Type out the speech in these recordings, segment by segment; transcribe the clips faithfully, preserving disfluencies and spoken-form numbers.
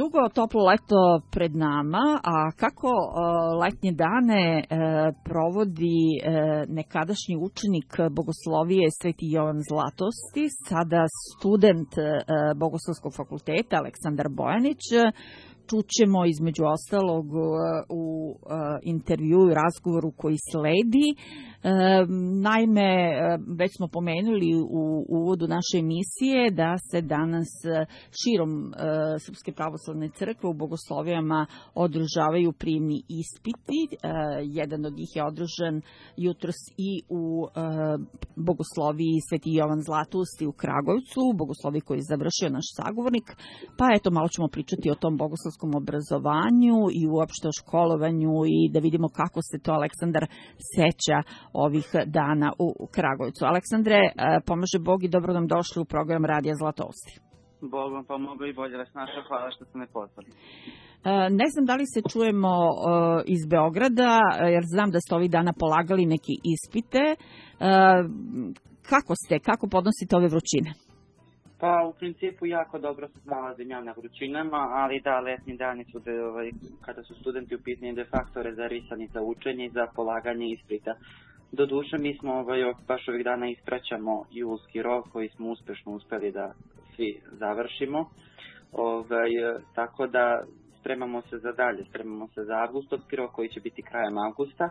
Dugo toplo leto pred nama, a kako letnje dane provodi nekadašnji učenik bogoslovije Sveti Jovan Zlatosti, sada student Bogoslovskog fakulteta Aleksandar Bojanić, čućemo između ostalog u intervjuu i razgovoru koji sledi. Naime, već smo pomenuli u uvodu naše emisije da se danas širom Srpske pravoslavne crkve u bogoslovijama održavaju prijemni ispiti. Jedan od njih je održan jutros i u bogosloviji Sveti Jovan Zlatosti u Kragujevcu, bogosloviji koji je završio naš sagovornik. Pa eto, malo ćemo pričati o tom bogoslovskom obrazovanju i uopšte o školovanju i da vidimo kako se to Aleksandar seća ovih dana u Kragujevcu. Aleksandre, pomaže Bog i dobro nam došli u program Radija Zlatosti. Bog vam pomogao i bolje vas našao. Hvala što ste me pozvali. Ne znam da li se čujemo iz Beograda, jer znam da ste ovih dana polagali neke ispite. Kako ste? Kako podnosite ove vrućine? Pa u principu jako dobro se nalazim ja na vrućinama, ali da, letnji dani su de, ovaj, kada su studenti u pitanju de facto rezarisani za učenje i za polaganje ispita. Doduše, mi smo ovaj, baš ovih dana ispraćamo julski rok koji smo uspešno uspeli da svi završimo. Ovaj, tako da spremamo se za dalje, spremamo se za avgustovski rok koji će biti krajem avgusta.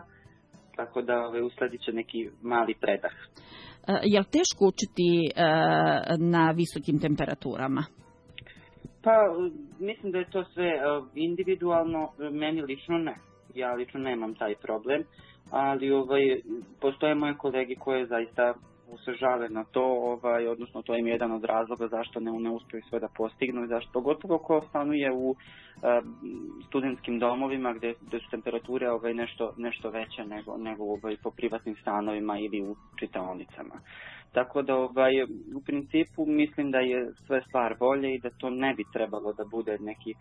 Tako da ovaj, usledit će neki mali predah. Je li teško učiti na visokim temperaturama? Pa, mislim da je to sve individualno, meni lično ne. Ja lično nemam taj problem, ali ovaj, postoje moje kolege koje zaista se žale na to, ovaj, odnosno to im je jedan od razloga zašto ne, ne uspiju sve da postignu i zašto, pogotovo ko stanuje u uh, studentskim domovima gde, gde su temperature ovaj, nešto, nešto veće nego, nego ovaj, po privatnim stanovima ili u čitaonicama. Tako da ovaj, u principu mislim da je sve stvar volje i da to ne bi trebalo da bude neki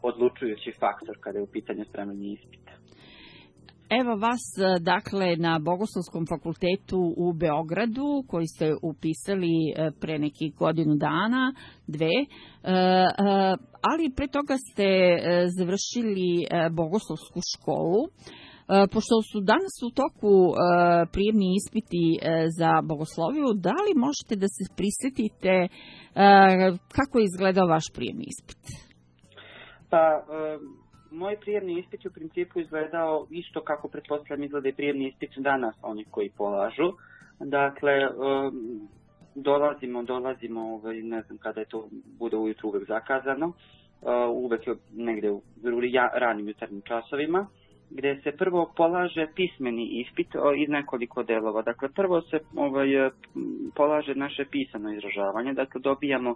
odlučujući faktor kada je u pitanju spremanje ispita. Evo vas, dakle, na Bogoslovskom fakultetu u Beogradu, koji ste upisali pre nekih godinu dana, dve, ali pre toga ste završili Bogoslovsku školu. Pošto su danas u toku prijemni ispiti za bogosloviju, da li možete da se prisjetite kako je izgledao vaš prijemni ispit? Pa... Moj prijemni ispit u principu izgledao isto kako pretpostavljam izgleda i prijemni ispit danas onih koji polažu. Dakle, dolazimo, dolazimo, ne znam kada je to bude ujutru uvek zakazano, uvek je negde u ranim jutarnjim časovima, gde se prvo polaže pismeni ispit iz nekoliko delova. Dakle, prvo se ovaj, polaže naše pisano izražavanje, dakle dobijamo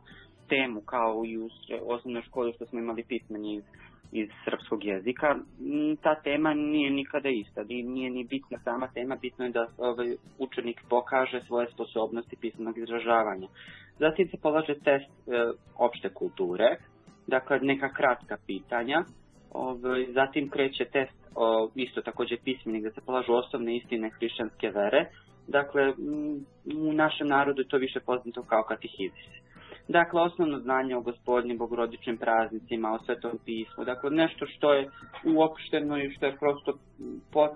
temu kao i u osnovnoj školi što smo imali pismeni iz iz srpskog jezika. Ta tema nije nikada ista, nije ni bitna sama tema, bitno je da ovaj, učenik pokaže svoje sposobnosti pisanog izražavanja. Zatim se polaže test e, opšte kulture, dakle neka kratka pitanja, ovaj, zatim kreće test o, isto takođe pismeni gde se polažu osnovne istine hrišćanske vere, dakle u našem narodu je to više poznato kao katehizis. Dakle, osnovno znanje o Gospodnjim bogorodičnim praznicima, o Svetom pismu, dakle nešto što je uopšteno i što je prosto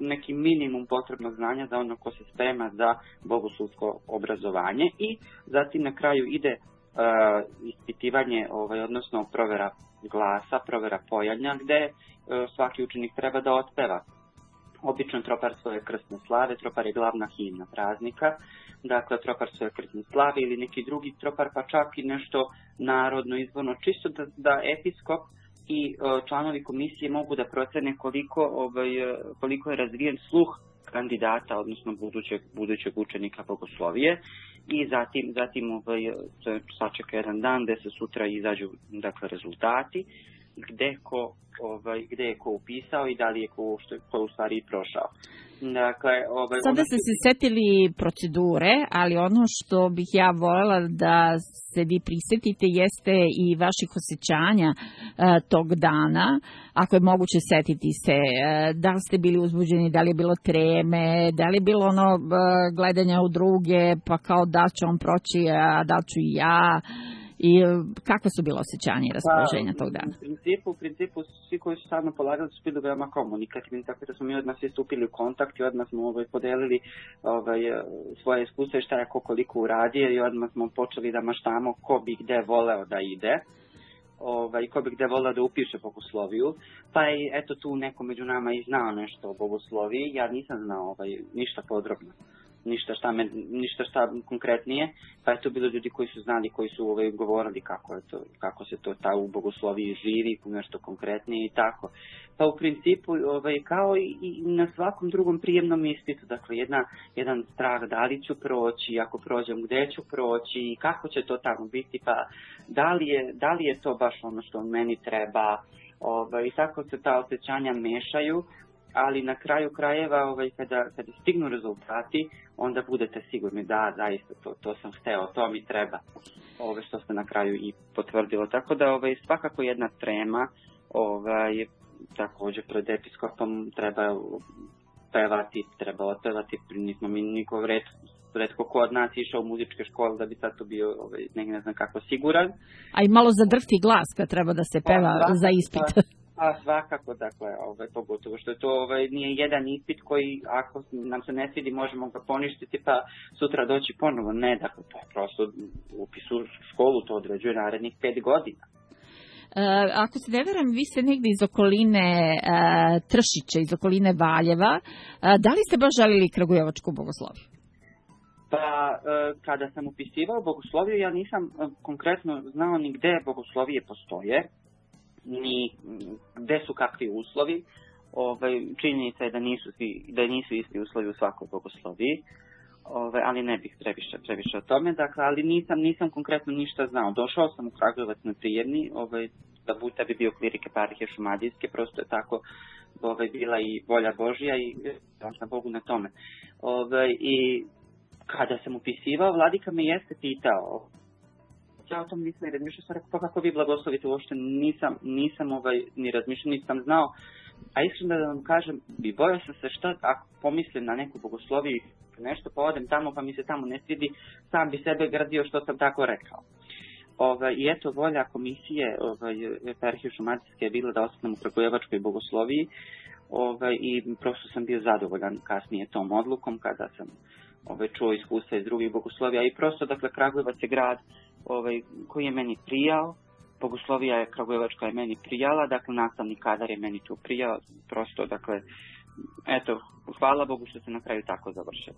neki minimum potrebnog znanja za ono ko se sprema za bogoslovsko obrazovanje i zatim na kraju ide uh, ispitivanje, ovaj, odnosno provera glasa, provera pojanja, gde uh, svaki učenik treba da otpeva. Obično tropar svoje krstne slave, tropar je glavna himna praznika, dakle tropar svoje krstne slave ili neki drugi tropar, pa čak i nešto narodno izvorno, čisto da, da episkop i uh, članovi komisije mogu da procene koliko, ovaj, koliko je razvijen sluh kandidata, odnosno budućeg, budućeg učenika bogoslovije i zatim, zatim ovaj, sačeka jedan dan gde se sutra izađu dakle, rezultati, gde ko ovaj, gde je ko upisao i da li je ko, što, ko u stvari i prošao. Dakle, ovaj, Sada ste se setili procedure, ali ono što bih ja voljela da se vi prisetite jeste i vaših osjećanja e, tog dana. Ako je moguće setiti se, e, da li ste bili uzbuđeni, da li je bilo treme, da li je bilo ono e, gledanja u druge, pa kao da će on proći, a da ću i ja. i kako su bilo osjećanje i raspoloženja tog dana? U principu, u principu svi koji su sad nam polagali su bili veoma komunikativni, tako da smo mi odmah svi stupili u kontakt i odmah smo ovaj, podelili ovaj, svoje iskustva i šta je ko koliko uradio i odmah smo počeli da maštamo ko bi gde voleo da ide. Ovaj, ko bi gde volao da upiše bogosloviju, pa je eto tu neko među nama i znao nešto o bogosloviji, ja nisam znao ovaj, ništa podrobno, ništa šta, me, ništa šta konkretnije, pa je to bilo ljudi koji su znali, koji su ovaj, govorili kako, je to, kako se to ta u bogosloviji živi, nešto konkretnije i tako. Pa u principu ovaj, kao i, i na svakom drugom prijemnom ispitu, dakle jedna, jedan strah da li ću proći, ako prođem gde ću proći i kako će to tamo biti, pa da li je, da li je to baš ono što meni treba, ovaj, i tako se ta osjećanja mešaju. Ali na kraju krajeva, ovaj, kada, kada stignu rezultati, onda budete sigurni da, zaista, to, to sam hteo, to mi treba, ove, što se na kraju i potvrdilo. Tako da ovaj, svakako jedna trema, ovaj, također pred episkopom treba pevati, treba otpevati, nismo mi niko red, redko ko od nas išao u muzičke škole da bi sad to bio ovaj, ne, ne znam kako siguran. A i malo zadrhti glas kad treba da se peva pa, za ispit. Pa, A svakako, dakle, ovaj, pogotovo što je to ovaj, nije jedan ispit koji ako nam se ne svidi možemo ga poništiti pa sutra doći ponovo. Ne, dakle, to je prosto upis u školu, to određuje narednih pet godina. E, ako se ne veram, vi ste negdje iz okoline e, Tršića, iz okoline Valjeva. E, da li ste baš želili kragujevačku bogosloviju? Pa, e, kada sam upisivao bogosloviju, ja nisam e, konkretno znao ni gde bogoslovije postoje, ni gde su kakvi uslovi. Ovaj, činjenica je da nisu, da nisu isti uslovi u svakoj bogosloviji, ovaj, ali ne bih previše, previše o tome. Dakle, ali nisam, nisam konkretno ništa znao. Došao sam u Kragujevac na prijemni, ovaj, da, bu, da bi bio klirik eparhije Šumadijske, prosto je tako ovaj, bila i volja Božja i hvala Bogu na tome. Ovaj, I kada sam upisivao, vladika me jeste pitao, ja o tom nisam ni razmišljao, sam rekao, pa kako vi blagoslovite, uopšte nisam, nisam ovaj, ni razmišljao, nisam znao. A iskreno da vam kažem, bi bojao sam se šta ako pomislim na neku bogosloviju, nešto pa odem tamo pa mi se tamo ne svidi, sam bi sebe gradio što sam tako rekao. Ovaj, I eto, volja komisije ovaj, eparhije Šumadijske je bila da ostanem u kragujevačkoj bogosloviji ovaj, i prosto sam bio zadovoljan kasnije tom odlukom kada sam ovaj, čuo iskustva iz drugih bogoslovija i prosto, dakle, Kragujevac je grad ovaj, koji je meni prijao, bogoslovija je kragujevačka je meni prijala, dakle, nastavni kadar je meni tu prijao, prosto, dakle, eto, hvala Bogu što se na kraju tako završilo.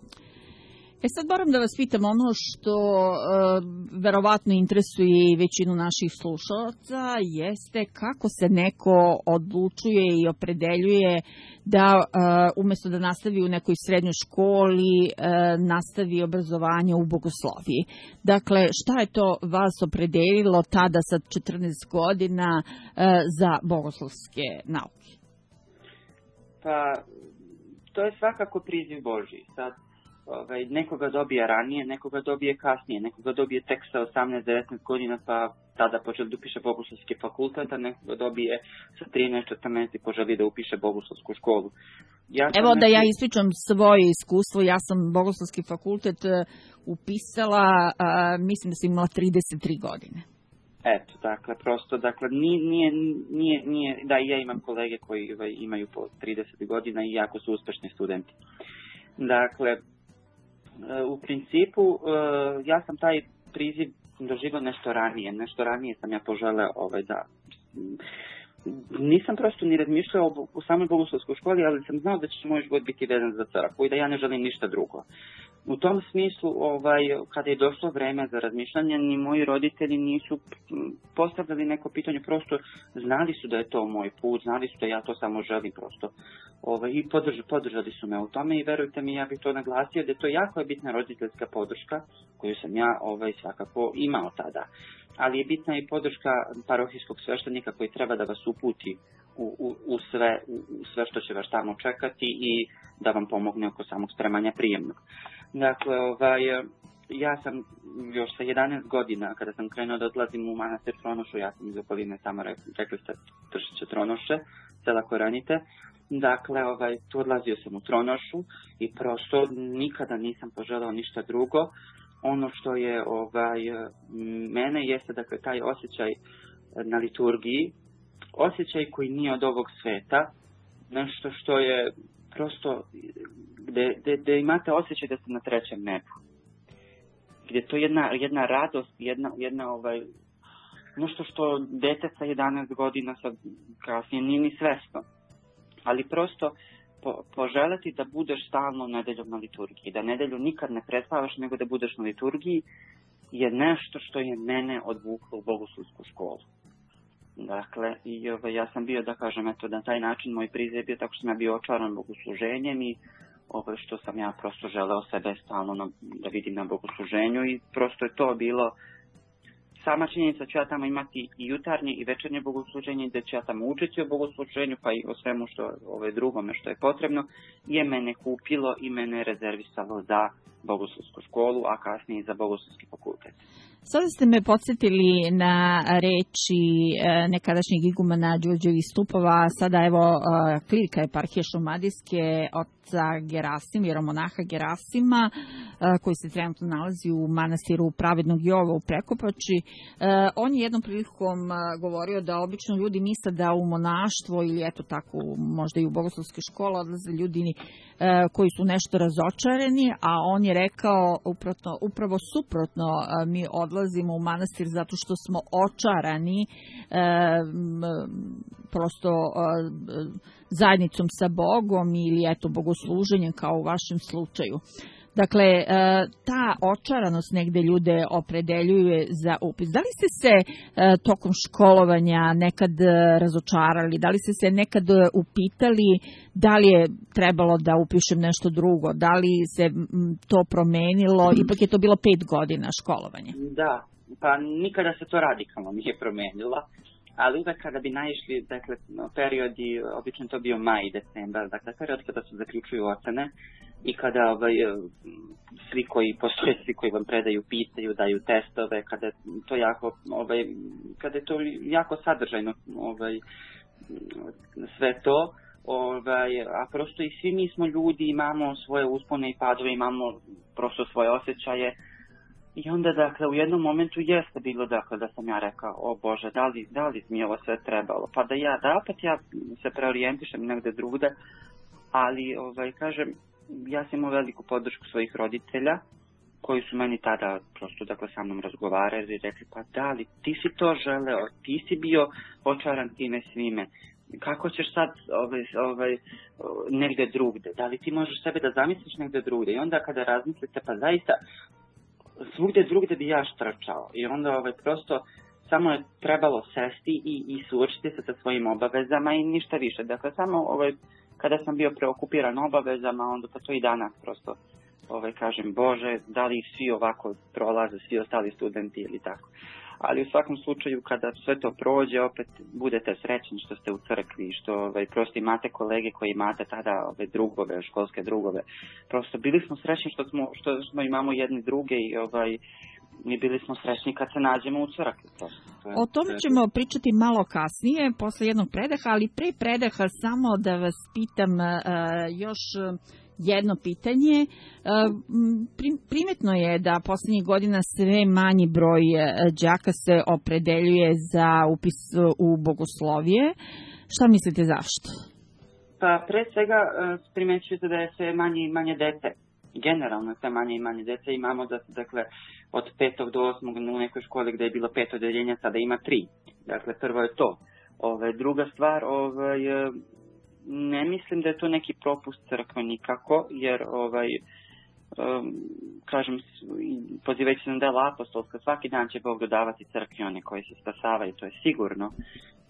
E sad moram da vas pitam ono što e, verovatno interesuje i većinu naših slušalaca, jeste kako se neko odlučuje i opredeljuje da e, umjesto da nastavi u nekoj srednjoj školi, e, nastavi obrazovanje u bogosloviji. Dakle, šta je to vas opredelilo tada sa četrnaest godina e, za bogoslovske nauke? Pa, to je svakako priziv Božji. Sad, Ovaj, nekoga dobije ranije, nekoga dobije kasnije, nekoga dobije tek sa osamnaest devetnaest godina pa tada počeli da upiše bogoslovski fakultet, a nekoga dobije sa trinaest četrnaest i poželi da upiše bogoslovsku školu. Ja Evo da neki... ja ispričam svoje iskustvo, ja sam bogoslovski fakultet upisala, a, mislim da sam imala trideset tri godine. Eto, dakle, prosto, dakle, nije, nije, nije, nije da i ja imam kolege koji ovaj, imaju po trideset godina i jako su uspešni studenti. Dakle, u principu, ja sam taj priziv doživio nešto ranije, nešto ranije sam ja poželeo ovaj, da... Nisam prosto ni razmišljao o, o samoj bogoslovskoj školi, ali sam znao da će moj život biti vezan za crkvu i da ja ne želim ništa drugo. U tom smislu, ovaj, kada je došlo vreme za razmišljanje, ni moji roditelji nisu postavljali neko pitanje, prosto znali su da je to moj put, znali su da ja to samo želim prosto. Ovaj, I podrž, podržali su me u tome i verujte mi, ja bih to naglasio da je to jako je bitna roditeljska podrška koju sam ja ovaj, svakako imao tada. Ali je bitna i podrška parohijskog sveštenika koji treba da vas uputi u, u, u, sve, u, u sve što će vas tamo čekati i da vam pomogne oko samog spremanja prijemnog. Dakle, ovaj, ja sam još sa jedanaest godina, kada sam krenuo da odlazim u manastir Tronošu, ja sam iz okoline tamo rekli, rekli ste Tršiće Tronoše, sela Koranite. Dakle, ovaj, tu odlazio sam u Tronošu i prosto nikada nisam poželao ništa drugo ono što je ovaj, mene jeste dakle taj osjećaj na liturgiji, osjećaj koji nije od ovog sveta, nešto što je prosto gde, gde, gde imate osjećaj da ste na trećem nebu. Gdje je to jedna, jedna radost, jedna, jedna ovaj, nešto što dete sa jedanaest godina sad kasnije nije ni svesno. Ali prosto po, poželeti da budeš stalno nedeljom na liturgiji, da nedelju nikad ne prespavaš nego da budeš na liturgiji je nešto što je mene odvuklo u bogoslovsku školu. Dakle, i ovaj, ja sam bio, da kažem, eto, na taj način moj prizor je bio tako što sam ja bio očaran bogosluženjem i ovaj, što sam ja prosto želeo sebe stalno na, da vidim na bogosluženju i prosto je to bilo sama činjenica ću ja tamo imati i jutarnje i večernje bogosluženje, da ću ja tamo učiti o bogosluženju, pa i o svemu što ove drugome što je potrebno, je mene kupilo i mene rezervisalo za bogoslovsku školu, a kasnije i za bogoslovski fakultet. Sada ste me podsjetili na reči nekadašnjeg igumana Đurđevih Stupova, sada evo klirika eparhije Šumadijske oca Gerasim, jeromonaha Gerasima, koji se trenutno nalazi u manastiru Pravednog Jova u Prekopači. On je jednom prilikom govorio da obično ljudi misle da u monaštvo ili eto tako možda i u bogoslovske škole odlaze ljudi koji su nešto razočarani, a on je rekao upravo, upravo suprotno, mi odlazimo u manastir zato što smo očarani e, prosto e, zajednicom sa Bogom ili eto bogosluženjem kao u vašem slučaju. Dakle, e, ta očaranost negde ljude opredeljuje za upis. Da li ste se e, tokom školovanja nekad razočarali? Da li ste se nekad upitali da li je trebalo da upišem nešto drugo? Da li se m, to promenilo? Ipak je to bilo pet godina školovanja. Da, pa nikada se to radikalno nije promenilo. Ali uvek kada bi naišli, dakle, periodi, obično to bio maj i decembar, dakle, period kada se zaključuju ocene i kada ovaj, svi koji, postoje svi koji vam predaju, pitaju, daju testove, kada je to jako, ovaj, kada je to jako sadržajno, ovaj, sve to, ovaj, a prosto i svi mi smo ljudi, imamo svoje uspone i padove, imamo prosto svoje osjećaje. I onda, dakle, u jednom momentu jeste bilo, dakle, da sam ja rekao, o Bože, da li, da li mi ovo sve trebalo? Pa da ja, da opet ja se preorijentišem negde drugde, ali, ovaj, kažem, ja sam imao veliku podršku svojih roditelja, koji su meni tada prosto, dakle, sa mnom razgovarali i rekli, pa da li, ti si to želeo, ti si bio očaran time svime, kako ćeš sad ovaj, ovaj, negde drugde, da li ti možeš sebe da zamisliš negde drugde? I onda kada razmislite, pa zaista, svugde drugde bi ja štrčao i onda ovaj, prosto samo je trebalo sesti i, i suočiti se sa svojim obavezama i ništa više. Dakle, samo ovaj, kada sam bio preokupiran obavezama, onda pa to i danas prosto ovaj, kažem, Bože, da li svi ovako prolaze, svi ostali studenti ili tako. Ali u svakom slučaju, kada sve to prođe, opet budete srećni što ste u crkvi, što ovaj, prosto imate kolege koji imate tada ove drugove, školske drugove. Prosto bili smo srećni što smo, što smo imamo jedni druge i ovaj, mi bili smo srećni kad se nađemo u crkvi. Prosto. Je, o tome ćemo pričati malo kasnije, posle jednog predaha, ali pre predaha samo da vas pitam uh, još... jedno pitanje. Primetno je da poslednjih godina sve manji broj đaka se opredeljuje za upis u bogoslovije. Šta mislite zašto? Pa pre svega primećujete da je sve manje i manje dece. Generalno sve manje i manje dece. Imamo da dakle od petog do osmog u nekoj školi gde je bilo pet odeljenja, sada ima tri. Dakle, prvo je to. Ove, druga stvar, ovaj, ne mislim da je to neki propust crkve nikako, jer ovaj, um, kažem, pozivajući se na dela apostolska, svaki dan će Bog dodavati crkvi one koji se spasavaju, to je sigurno.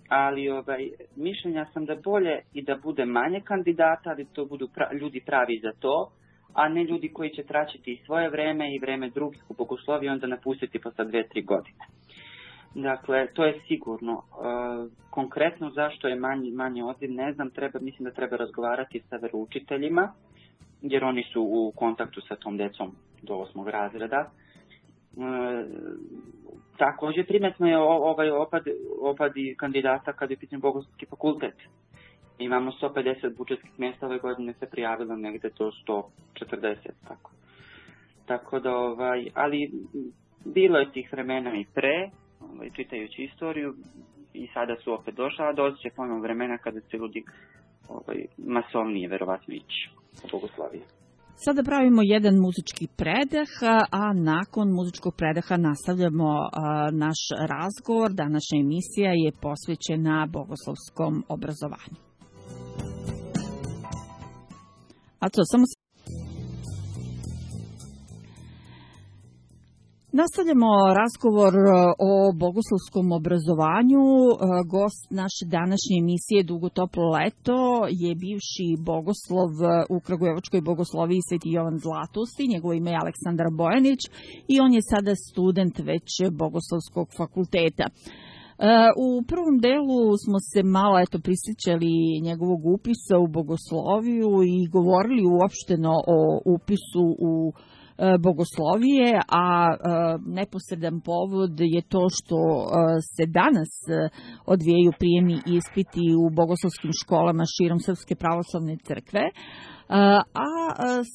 Ali ovaj, mišljenja sam da bolje i da bude manje kandidata, ali to budu pra, ljudi pravi za to, a ne ljudi koji će traćiti i svoje vreme i vreme drugih u bogosloviji, onda napustiti posle dve, tri godine. Dakle, to je sigurno. E, konkretno zašto je manji, manje odziv, ne znam, treba, mislim da treba razgovarati sa veroučiteljima, jer oni su u kontaktu sa tom decom do osmog razreda. E, također primetno je ovaj opad, opad kandidata kad je pitan bogoslovski fakultet. Imamo sto pedeset budžetskih mjesta, ove godine se prijavilo negde do sto četrdeset, tako. tako da, ovaj, ali bilo je tih vremena i pre, ovaj, čitajući istoriju, i sada su opet došla, a doći će ponovno vremena kada će ljudi ovaj, masovnije verovatno ići u Bogosloviji. Sada pravimo jedan muzički predah, a nakon muzičkog predaha nastavljamo naš razgovor. Današnja emisija je posvećena bogoslovskom obrazovanju. A to samo Nastavljamo razgovor o bogoslovskom obrazovanju. Gost naše današnje emisije Dugo toplo leto je bivši bogoslov u Kragujevačkoj bogosloviji Sveti Jovan Zlatosti. Njegovo ime je Aleksandar Bojanić i on je sada student već Bogoslovskog fakulteta. U prvom delu smo se malo eto prisjećali njegovog upisa u bogosloviju i govorili uopšteno o upisu u bogoslovije, a neposredan povod je to što se danas odvijaju prijemni ispiti u bogoslovskim školama širom Srpske pravoslavne crkve. A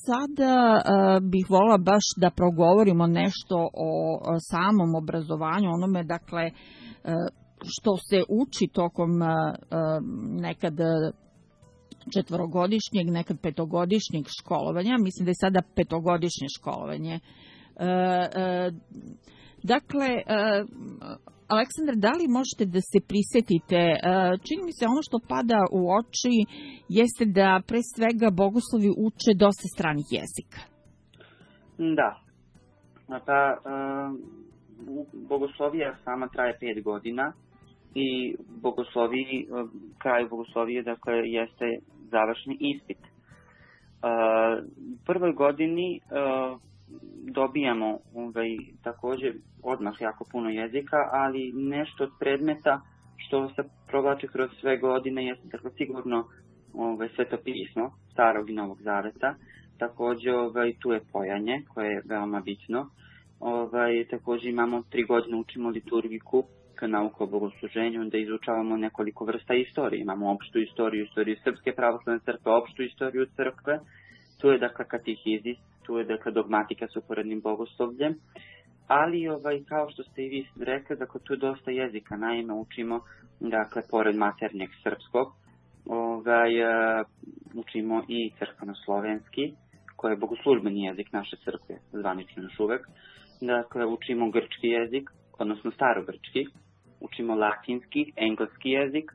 sada bih volila baš da progovorimo nešto o samom obrazovanju, onome dakle što se uči tokom nekad četvorogodišnjeg, nekad petogodišnjeg školovanja. Mislim da je sada petogodišnje školovanje. E, e, dakle, e, Aleksandar, da li možete da se prisjetite, e, čini mi se ono što pada u oči jeste da pre svega bogoslovi uče dosta stranih jezika. Da. Pa, e, bogoslovija sama traje pet godina i bogosloviji, kraj bogoslovije, dakle, jeste završni ispit. U prvoj godini dobijamo ovaj, također odmah jako puno jezika, ali nešto od predmeta što se provlači kroz sve godine jeste dakle, sigurno ovaj, svetopismo Starog i Novog Zaveta. Također ovaj, tu je pojanje koje je veoma bitno. Ovaj, također imamo tri godine učimo liturgiku, nauku o bogosluženju, da izučavamo nekoliko vrsta istorije. Imamo opštu istoriju, istoriju Srpske pravoslavne crkve, opštu istoriju crkve. Tu je dakle katehizis, tu je dakle dogmatika s uporednim bogoslovljem. Ali ovaj, kao što ste i vi rekli, dakle tu je dosta jezika. Naime, učimo dakle pored maternjeg srpskog, ovaj, učimo i crkveno-slovenski, koji je bogoslužbeni jezik naše crkve, zvanično još uvek. Dakle, učimo grčki jezik, odnosno starogrčki, učimo latinski, engleski jezik,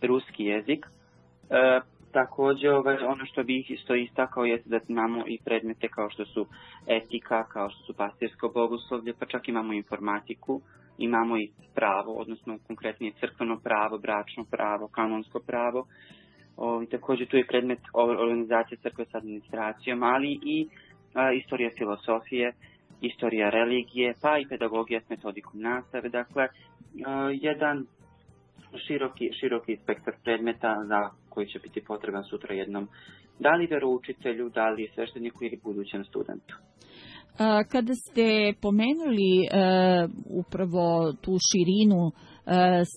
ruski jezik. E, također, ovaj, ono što bih isto istakao je da imamo i predmete kao što su etika, kao što su pastirsko bogoslovlje, pa čak imamo informatiku, imamo i pravo, odnosno konkretnije crkveno pravo, bračno pravo, kanonsko pravo. O, i također tu je predmet organizacije crkve s administracijom, ali i a, istorija filosofije, istorija religije, pa i pedagogija s metodikom nastave. Dakle, jedan široki, široki spektar predmeta za koji će biti potreban sutra jednom, da li veroučitelju, da li svešteniku ili budućem studentu. Kada ste pomenuli uh, upravo tu širinu uh,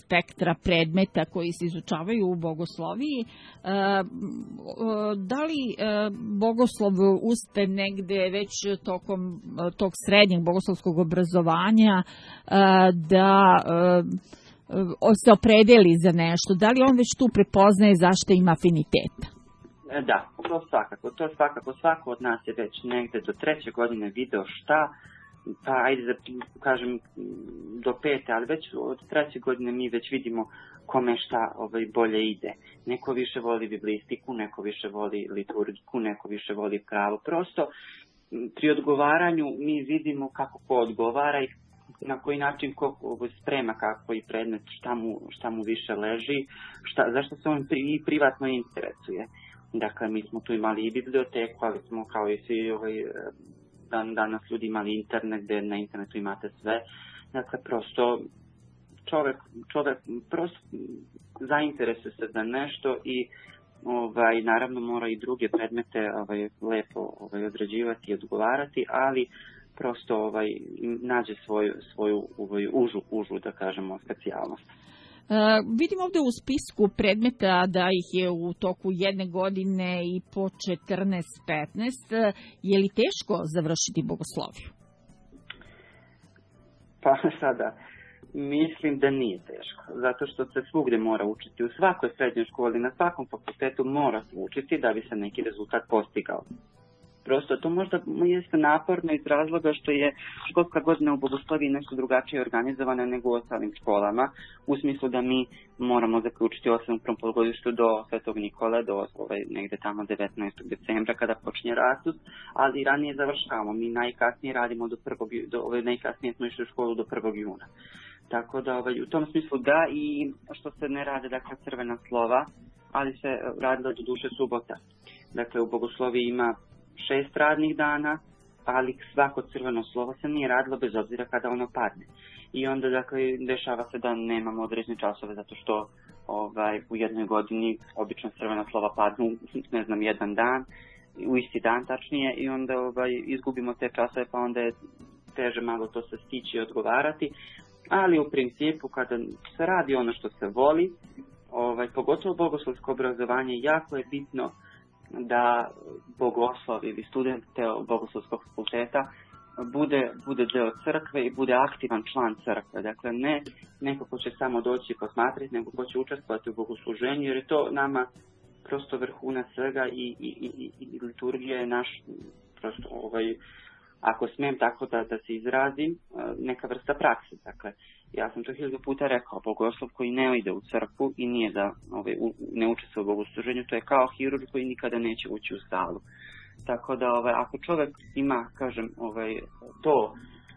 spektra predmeta koji se izučavaju u bogosloviji, uh, da li uh, bogoslov uspe negde već tokom uh, tog srednjeg bogoslovskog obrazovanja uh, da uh, se opredeli za nešto? Da li on već tu prepoznaje zašto ima afiniteta? Da, to svakako, to svakako, svako od nas je već negde do treće godine video šta, pa ajde da kažem do pete, ali već od treće godine mi već vidimo kome šta ovaj, bolje ide. Neko više voli biblistiku, neko više voli liturgiku, neko više voli pravo. Prosto pri odgovaranju mi vidimo kako ko odgovara i na koji način ko sprema kako i predmet, šta mu, šta mu više leži, šta, zašto se on pri, privatno interesuje. Dakle, mi smo tu imali i biblioteku, ali smo kao i svi ovaj, dan, danas ljudi imali internet, gdje na internetu imate sve. Dakle, prosto čovjek, čovjek prosto zainteresuje se za nešto i ovaj, naravno mora i druge predmete ovaj, lepo ovaj, odrađivati i odgovarati, ali prosto ovaj, nađe svoju, svoju ovaj, užu, užu, da kažemo, specijalnost. Vidim ovde u spisku predmeta da ih je u toku jedne godine i po četrnaest petnaest. Je li teško završiti bogosloviju? Pa sada, mislim da nije teško, zato što se svugde mora učiti. U svakoj srednjoj školi, na svakom fakultetu mora se učiti da bi se neki rezultat postigao. Prosto to možda jeste naporno iz razloga što je školska godina u bogosloviji nešto drugačije organizovana nego u ostalim školama, u smislu da mi moramo zaključiti osam prvom polugodištu do Svetog Nikole, do ovaj, negde tamo devetnaestog decembra kada počinje rastus, ali ranije završavamo. Mi najkasnije radimo do prvog, do, ovaj, najkasnije smo išli u školu do prvog juna. Tako da ovaj, u tom smislu da, i što se ne rade dakle crvena slova, ali se radilo do duše subota. Dakle, u bogosloviji ima šest radnih dana, ali svako crveno slovo se nije radilo bez obzira kada ono padne. I onda dakle dešava se da nemamo određene časove zato što ovaj, u jednoj godini obično crvena slova padnu, ne znam, jedan dan, u isti dan tačnije, i onda ovaj, izgubimo te časove, pa onda je teže malo to se stići i odgovarati. Ali u principu kada se radi ono što se voli, ovaj, pogotovo bogoslovsko obrazovanje, jako je bitno da bogoslov ili student bogoslovskog fakulteta bude, bude deo crkve i bude aktivan član crkve. Dakle, ne neko ko će samo doći i posmatrati, nego ko će učestvovati u bogosluženju, jer je to nama prosto vrhunac svega i, i, i, i liturgija je naš, prosto, ovaj, ako smijem tako da, da se izrazim, neka vrsta prakse. Dakle, ja sam to hiljadu puta rekao, bogoslov koji ne ide u crkvu i nije da ovaj, u, ne učestvuje u bogosluženju, to je kao hirurg koji nikada neće ući u salu. Tako da ovaj, ako čovjek ima, kažem, ovaj, to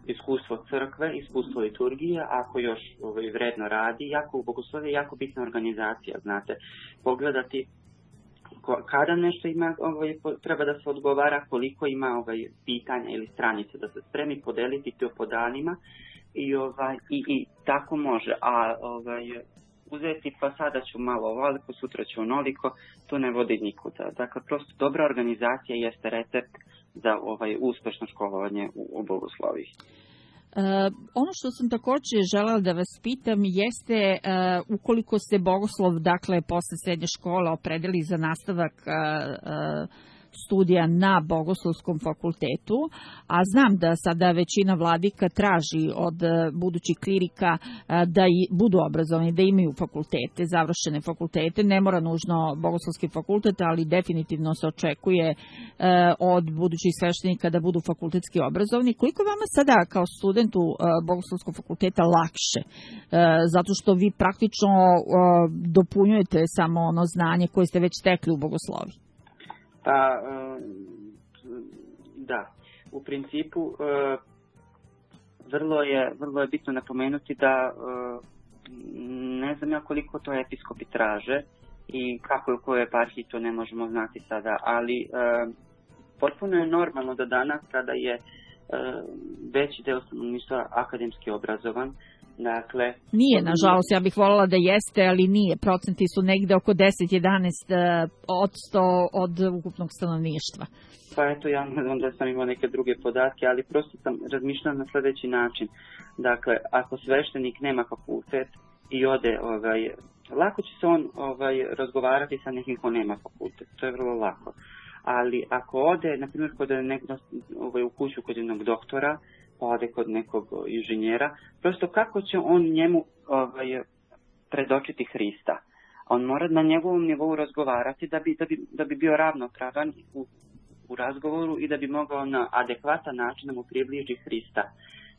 iskustvo crkve, iskustvo liturgije, ako još ovaj, vredno radi, jako u bogosloviju je jako bitna organizacija, znate, pogledati kada nešto ima, ovaj, treba da se odgovara, koliko ima ovaj, pitanja ili stranice da se spremi, podeliti to po danima i, ovaj, i, i tako može. A ovaj, uzeti pa sada ću malo ovoliko, sutra ću onoliko, to ne vodi nikuda. Dakle, prosto dobra organizacija jeste recept za ovaj, uspešno školovanje u, u bogosloviji. Uh, ono što sam također želela da vas pitam jeste uh, ukoliko se bogoslov, dakle, posle srednje škole opredeli za nastavak uh, uh, studija na Bogoslovskom fakultetu, a znam da sada većina vladika traži od budućih klirika da i budu obrazovani, da imaju fakultete, završene fakultete, ne mora nužno Bogoslovski fakultet, ali definitivno se očekuje od budućih sveštenika da budu fakultetski obrazovani. Koliko je vama sada kao studentu Bogoslovskog fakulteta lakše? Zato što vi praktično dopunjujete samo ono znanje koje ste već stekli u bogosloviji. Pa, da, u principu vrlo je, vrlo je bitno napomenuti da ne znam ja koliko to episkopi traže i kako je u kojoj eparhiji, to ne možemo znati sada, ali potpuno je normalno da danas kada je veći deo stanovništva akademski obrazovan, dakle, nije, nažalost, ja bih voljela da jeste, ali nije. Procenti su negde oko deset do jedanaest od sto od ukupnog stanovništva. Pa eto, ja ne znam da sam imao neke druge podatke, ali prosto sam razmišljala na sljedeći način. Dakle, ako sveštenik nema fakultet i ode, ovaj, lako će se on ovaj, razgovarati sa nekim ko nema fakultet. To je vrlo lako. Ali ako ode, na primjer, kod nekog, ovaj, u kuću kod jednog doktora, pa ode kod nekog inženjera, prosto kako će on njemu ovaj, predočiti Hrista? On mora na njegovom nivou razgovarati da bi, da bi, da bi bio ravnopravan u, u razgovoru i da bi mogao na adekvatan način da mu približi Hrista.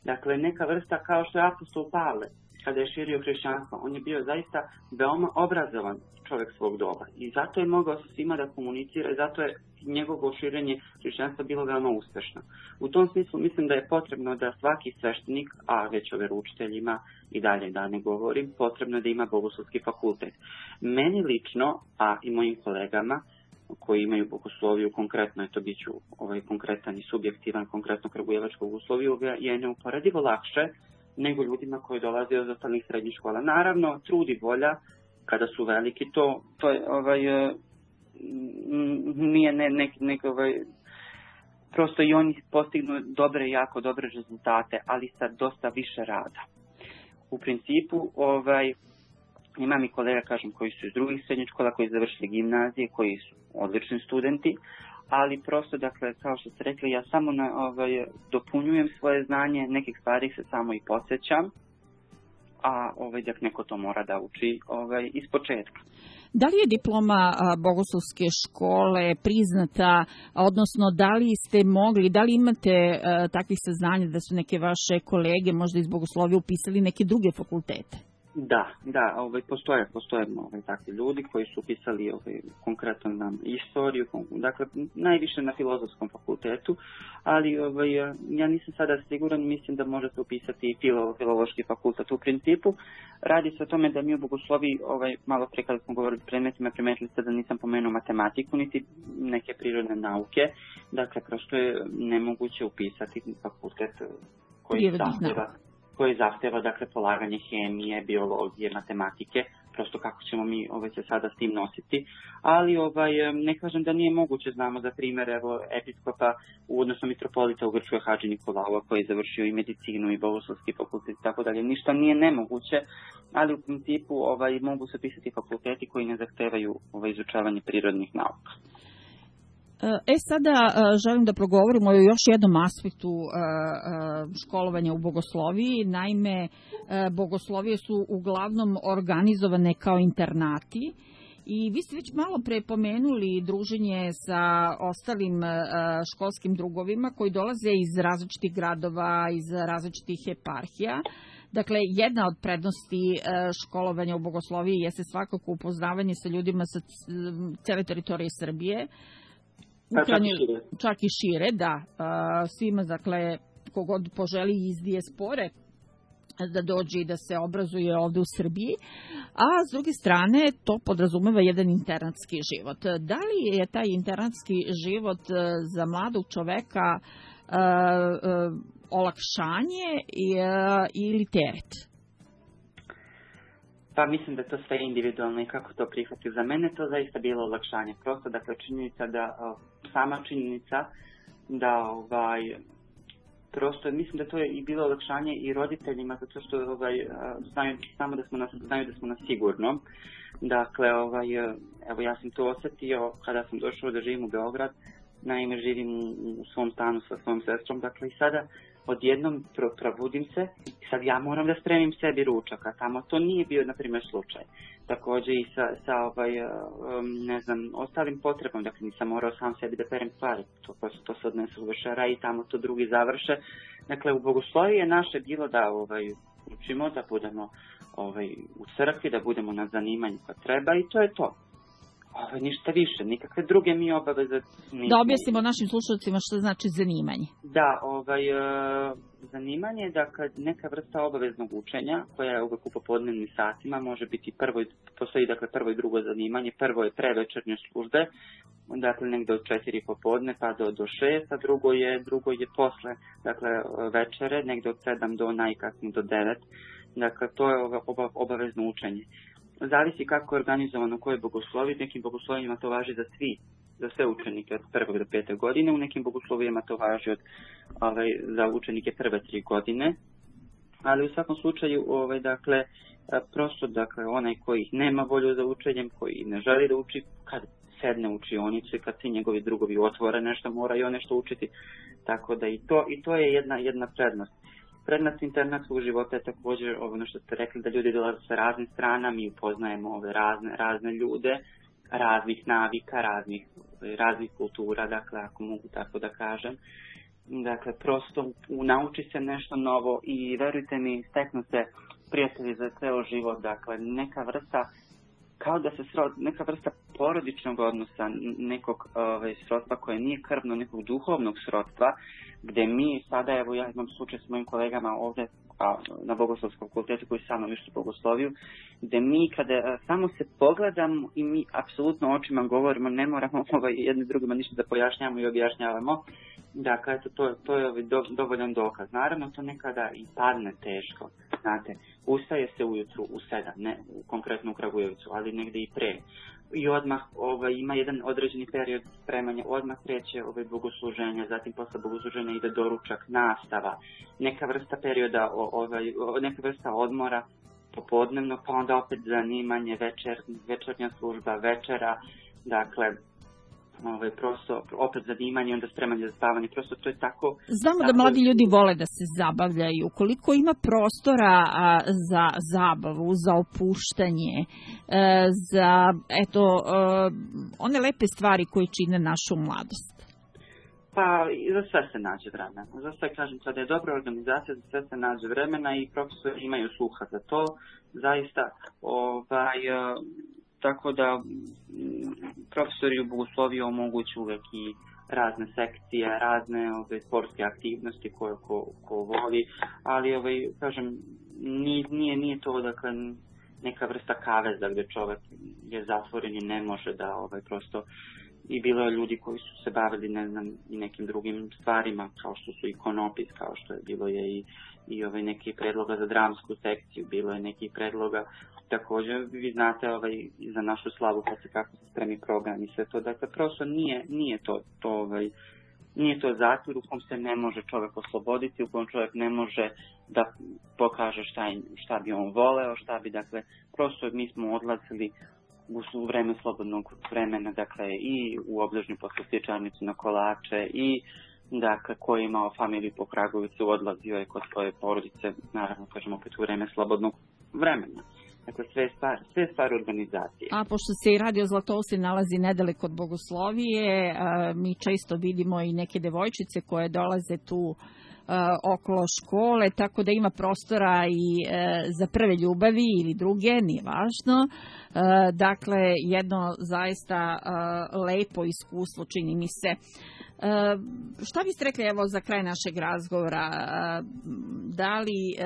Dakle, neka vrsta kao što je apostol Pavle, kada je širio hrišćanstvo, on je bio zaista veoma obrazovan čovjek svog doba i zato je mogao sa svima da komunicira i zato je njegovo širenje hrišćanstva bilo veoma uspešno. U tom smislu mislim da je potrebno da svaki sveštenik, a već o veroučiteljima i dalje da ne govorim, potrebno da ima bogoslovski fakultet. Meni lično, a i mojim kolegama koji imaju bogosloviju, konkretno je to bit ću ovaj, konkretan i subjektivan, konkretno kragujevačku bogosloviju, je neuporedivo lakše nego ljudima koji dolaze od ostalih srednjih škola. Naravno, trud i volja, kada su veliki, to, to je, ovaj, nije ne, ne, ne, ovaj, prosto i oni postignu dobre, jako dobre rezultate, ali sa dosta više rada. U principu, ovaj, Imam i kolega, kažem, koji su iz drugih srednjih škola, koji završili gimnazije, koji su odlični studenti, ali prosto, dakle, kao što ste rekli, ja samo na, ovaj, dopunjujem svoje znanje, nekih stvari se samo i podsjećam, a ovaj, dakle, neko to mora da uči ovaj, iz početka. Da li je diploma bogoslovske škole priznata, odnosno da li ste mogli, da li imate a, takvih saznanja da su neke vaše kolege možda iz bogoslovije upisali neke druge fakultete? Da, da, ovaj, postoje, postoje ovaj, takvi ljudi koji su upisali ovaj, konkretno na istoriju, dakle najviše na filozofskom fakultetu, ali ovaj, ja nisam sada siguran, mislim da možete upisati i filo, filološki fakultet u principu. Radi se o tome da mi u bogosloviji, ovaj, malo pre kada smo govorili predmetima, primetili ste da nisam pomenuo matematiku, niti neke prirodne nauke, dakle prosto je nemoguće upisati fakultet koji zahteva. koji zahteva, dakle, polaganje hemije, biologije, matematike, prosto kako ćemo mi ovaj, se sada s tim nositi. Ali ovaj, ne kažem da nije moguće, znamo za primjer, evo, episkopa, odnosno mitropolita u Grčkoj Hadži Nikolaua, koji je završio i medicinu i bogoslovski fakultet i tako dalje. Ništa nije nemoguće, ali u principu ovaj, mogu se pisati fakulteti koji ne zahtevaju ovaj, izučavanje prirodnih nauka. E sada želim da progovorimo o još jednom aspektu školovanja u bogosloviji. Naime, bogoslovije su uglavnom organizovane kao internati i vi ste već malo pre pomenuli druženje sa ostalim školskim drugovima koji dolaze iz različitih gradova, iz različitih eparhija. Dakle, jedna od prednosti školovanja u bogosloviji jeste svakako upoznavanje sa ljudima sa cele teritorije Srbije, Ukrajine, čak i šire, da, svima, dakle, kogod poželi iz dijaspore da dođe i da se obrazuje ovde u Srbiji, a s druge strane to podrazumeva jedan internatski život. Da li je taj internatski život za mladog čoveka uh, uh, olakšanje uh, ili teret? Pa mislim da je to sve individualno i kako to prihvati. Za mene to zaista bilo olakšanje. Prosto, dakle, činjenica da, sama činjenica da, ovaj, prosto, mislim da to je i bilo olakšanje i roditeljima, zato što, ovaj, znaju samo da smo na, znaju da smo na sigurnom. Dakle, ovaj, evo, ja sam to osjetio kada sam došao da živim u Beograd. Naime, živim u svom stanu sa svojom sestrom, dakle, i sada odjednom probudim se i sad ja moram da spremim sebi ručak, a tamo to nije bio, na primjer, slučaj. Također i sa, sa ovaj, ne znam, ostalim potrebom, dakle nisam morao sam sebi da perem stvari, to, to se odnese u večera i tamo to drugi završe. Dakle, u bogosloviji je naše bilo da ovaj, učimo, da budemo ovaj, u crkvi, da budemo na zanimanju kad treba i to je to. Ovo, ništa više, nikakve druge mi obaveze nismo. Da objasnimo našim slušalcima što znači zanimanje. Da, ovaj, e, zanimanje je da kad neka vrsta obaveznog učenja, koja je uvek u popodnevnim satima, može biti prvo, postoji dakle prvo i drugo zanimanje, prvo je pre večernje službe, dakle negde od četiri popodne pa do, do šest, a drugo je, drugo je posle, dakle večere, negde od sedam do najkasnije do devet, dakle to je oba, obavezno učenje. Zavisi kako je organizovano koje bogoslovi, u nekim bogoslovima to važi za svi, za sve učenike od prvog do pete godine, u nekim bogoslovijama to važi od, ovaj, za učenike prve tri godine, ali u svakom slučaju, ovaj, dakle, prosto, dakle, onaj koji nema volju za učenjem, koji ne želi da uči, kad sedne u učionicu i kad svi njegovi drugovi otvore nešto, mora i on nešto učiti, tako da i to, i to je jedna, jedna prednost. Prednost internatskog života je također ono što ste rekli, da ljudi dolaze sa raznih strana, mi upoznajemo ove razne, razne ljude, raznih navika, raznih, raznih kultura, dakle, ako mogu tako da kažem. Dakle, prosto nauči se nešto novo i verujte mi, steknu se prijatelji za ceo život, dakle, neka vrsta, kao da se srod, neka vrsta porodičnog odnosa, nekog ovaj, srodstva koje nije krvno, nekog duhovnog srodstva, gde mi sada, evo ja imam slučaj s mojim kolegama ovde a, na Bogoslovskom fakultetu koji sa mnom išli Bogosloviju, gde mi kada a, samo se pogledamo i mi apsolutno očima govorimo, ne moramo ovaj, jedni drugima ništa da pojašnjamo i objašnjavamo, dakle, eto, to, to je ovaj, do, dovoljan dokaz. Naravno, to nekada i padne teško, znate, ustaje se ujutru u sedam, ne konkretno u Kragujevcu, ali negde i pre. I odmah ovaj, ima jedan određeni period spremanja, odmah kreće ovaj, bogosluženja, zatim posle bogosluženja ide doručak, nastava, neka vrsta perioda, ovaj, neka vrsta odmora, popodnevno, pa onda opet zanimanje, večer, večernja služba, večera, dakle, ovaj, prosto, opet zanimanje, onda spremanje za spavanje, prosto to je tako... Znamo tako... da mladi ljudi vole da se zabavljaju. Koliko ima prostora a, za zabavu, za opuštanje, e, za, eto, e, one lepe stvari koje čine našu mladost? Pa, za sve se nađe vremena. Za sve, kažem, kada je dobra organizacija, za sve se nađe vremena i profesori imaju sluha za to. Zaista, ovaj, tako da profesori u bogosloviji omogućuju uvek i razne sekcije, razne ove, sportske aktivnosti koje ko, ko voli, ali, ovaj, kažem, nije, nije, nije to, dakle, neka vrsta kaveza gde čovek je zatvoren i ne može da, ovaj, prosto... I bilo je ljudi koji su se bavili, ne znam, i nekim drugim stvarima, kao što su i konopis, kao što je bilo je i, i ovaj neki predloga za dramsku sekciju, bilo je neki predloga, također vi znate ovaj, za našu slavu kad se kako se spremi program i sve to, dakle prosto nije, nije to, to ovaj, nije to zatvor u kom se ne može čovjek osloboditi, u kom čovjek ne može da pokaže šta, šta bi on voleo, šta bi, dakle, prosto mi smo odlazili u vreme slobodnog vremena, dakle, i u obližnju poslastičarnicu na kolače i, dakle, ko je imao familiju po Kragovicu, odlazio je kod svoje porodice, naravno, kažemo, opet u vreme slobodnog vremena. Dakle, sve stvari, sve stvari organizacije. A pošto se i Radio Zlatousti nalazi nedaleko od Bogoslovije, mi često vidimo i neke devojčice koje dolaze tu okolo škole, tako da ima prostora i e, za prve ljubavi ili druge, nije važno. E, dakle, jedno zaista e, lepo iskustvo, čini mi se. E, šta biste rekli, evo, za kraj našeg razgovora, e, da li e,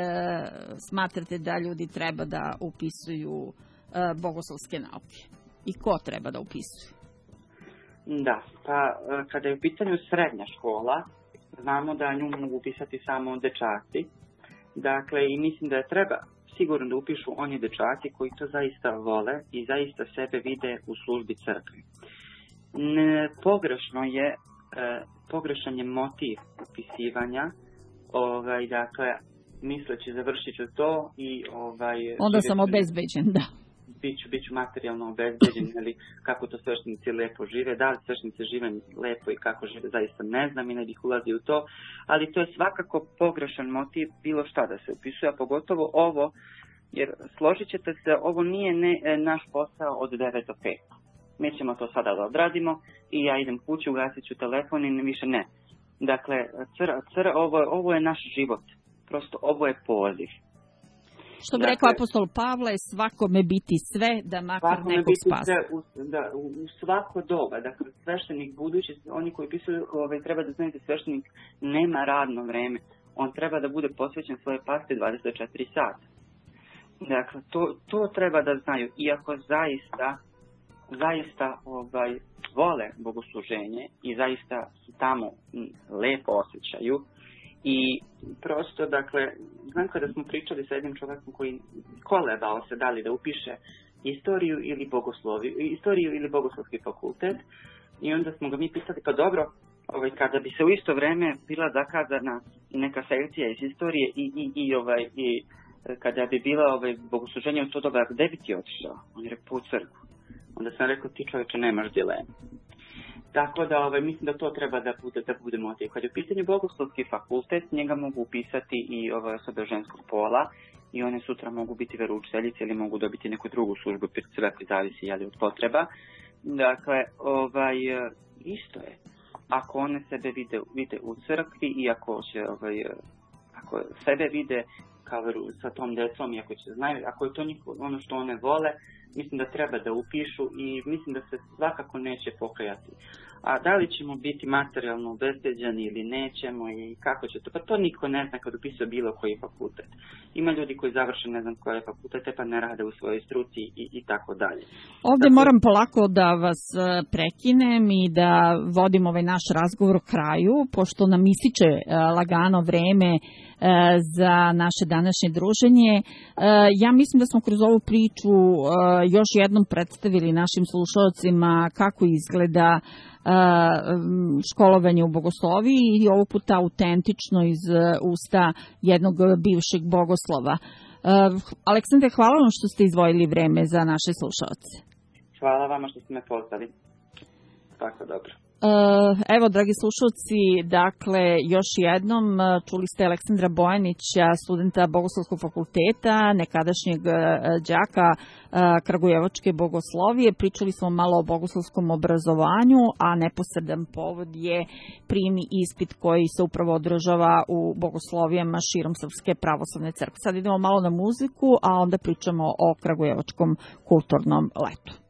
smatrate da ljudi treba da upisuju e, bogoslovske nauke? I ko treba da upisuje? Da, pa kada je u pitanju srednja škola, znamo da nju mogu upisati samo dečaci. Dakle, i mislim da je treba sigurno da upišu oni dečaci koji to zaista vole i zaista sebe vide u službi crkve. Ne, pogrešno je, e, pogrešan je motiv upisivanja, ovaj, dakle, misleći završit ću to i... Ovaj, onda sam obezbeđen, da. Biću, biću materijalno obezbeđen, ili kako to sveštenici lepo žive, da li sveštenici žive lepo i kako žive, zaista ne znam i ne bih ulazio u to, ali to je svakako pogrešan motiv bilo šta da se upisuje, a pogotovo ovo, jer složit ćete se, ovo nije ne, naš posao od devet do pet. Mi ćemo to sada da odradimo i ja idem kući, ugasit ću telefon i više ne. Dakle, cr, cr, ovo, ovo je naš život, prosto ovo je poziv. Što bi dakle, rekao apostol Pavle, svakome biti sve, da makar nekog spasi. U, da, u, u svako doba, dakle, sveštenik budući, oni koji pisuju, ovaj, treba da znaju da sveštenik nema radno vreme. On treba da bude posvećen svoje pasti dvadeset četiri sata. Dakle, to, to treba da znaju. Iako zaista, zaista ovaj, vole bogosluženje i zaista su tamo lepo osjećaju, i prosto, dakle, znam kada smo pričali sa jednim čovjekom koji kolebao se da li da upiše istoriju ili bogosloviju, istoriju ili bogoslovski fakultet, i onda smo ga mi pitali, pa dobro, ovaj, kada bi se u isto vreme bila zakazana neka sekcija iz istorije i, i, i, ovaj, i kada bi bila ovaj, bogosluženje u to doba, gde bi ti otišao? On je rekao, u crkvu. Onda sam rekao, ti čovječe nemaš dilemu. Tako da ovaj, mislim da to treba da bude, da bude motiv. Kad je u pitanju bogoslovski fakultet, njega mogu upisati i ove osobe ženskog pola i one sutra mogu biti veroučiteljice ili mogu dobiti neku drugu službu, sve zavisi jeli, od potreba. Dakle, ovaj, isto je. Ako one sebe vide, vide u crkvi i ako, će, ovaj, ako sebe vide kao sa tom decom i ako će znaju, ako je to njihov, ono što one vole, mislim da treba da upišu i mislim da se svakako neće pokajati. A da li ćemo biti materijalno obezbeđeni ili nećemo i kako će to, pa to niko ne zna kad upisuje bilo koji fakultet. Ima ljudi koji završe ne znam koje fakultete pa ne rade u svojoj struci i, i tako dalje. Ovdje tako... moram polako da vas prekinem i da vodim ovaj naš razgovor u kraju, pošto nam ističe lagano vreme za naše današnje druženje. Ja mislim da smo kroz ovu priču još jednom predstavili našim slušalcima kako izgleda školovanje u bogosloviji i ovog puta autentično iz usta jednog bivšeg bogoslova. Aleksandre, hvala vam što ste izdvojili vreme za naše slušalce. Hvala vama što ste me pozvali. Tako, dobro. Evo, dragi slušalci, dakle, još jednom čuli ste Aleksandra Bojanića, studenta Bogoslovskog fakulteta, nekadašnjeg đaka Kragujevačke bogoslovije. Pričali smo malo o bogoslovskom obrazovanju, a neposredan povod je prijemni ispit koji se upravo održava u bogoslovijama širom Srpske pravoslavne crkve. Sad idemo malo na muziku, a onda pričamo o Kragujevačkom kulturnom letu.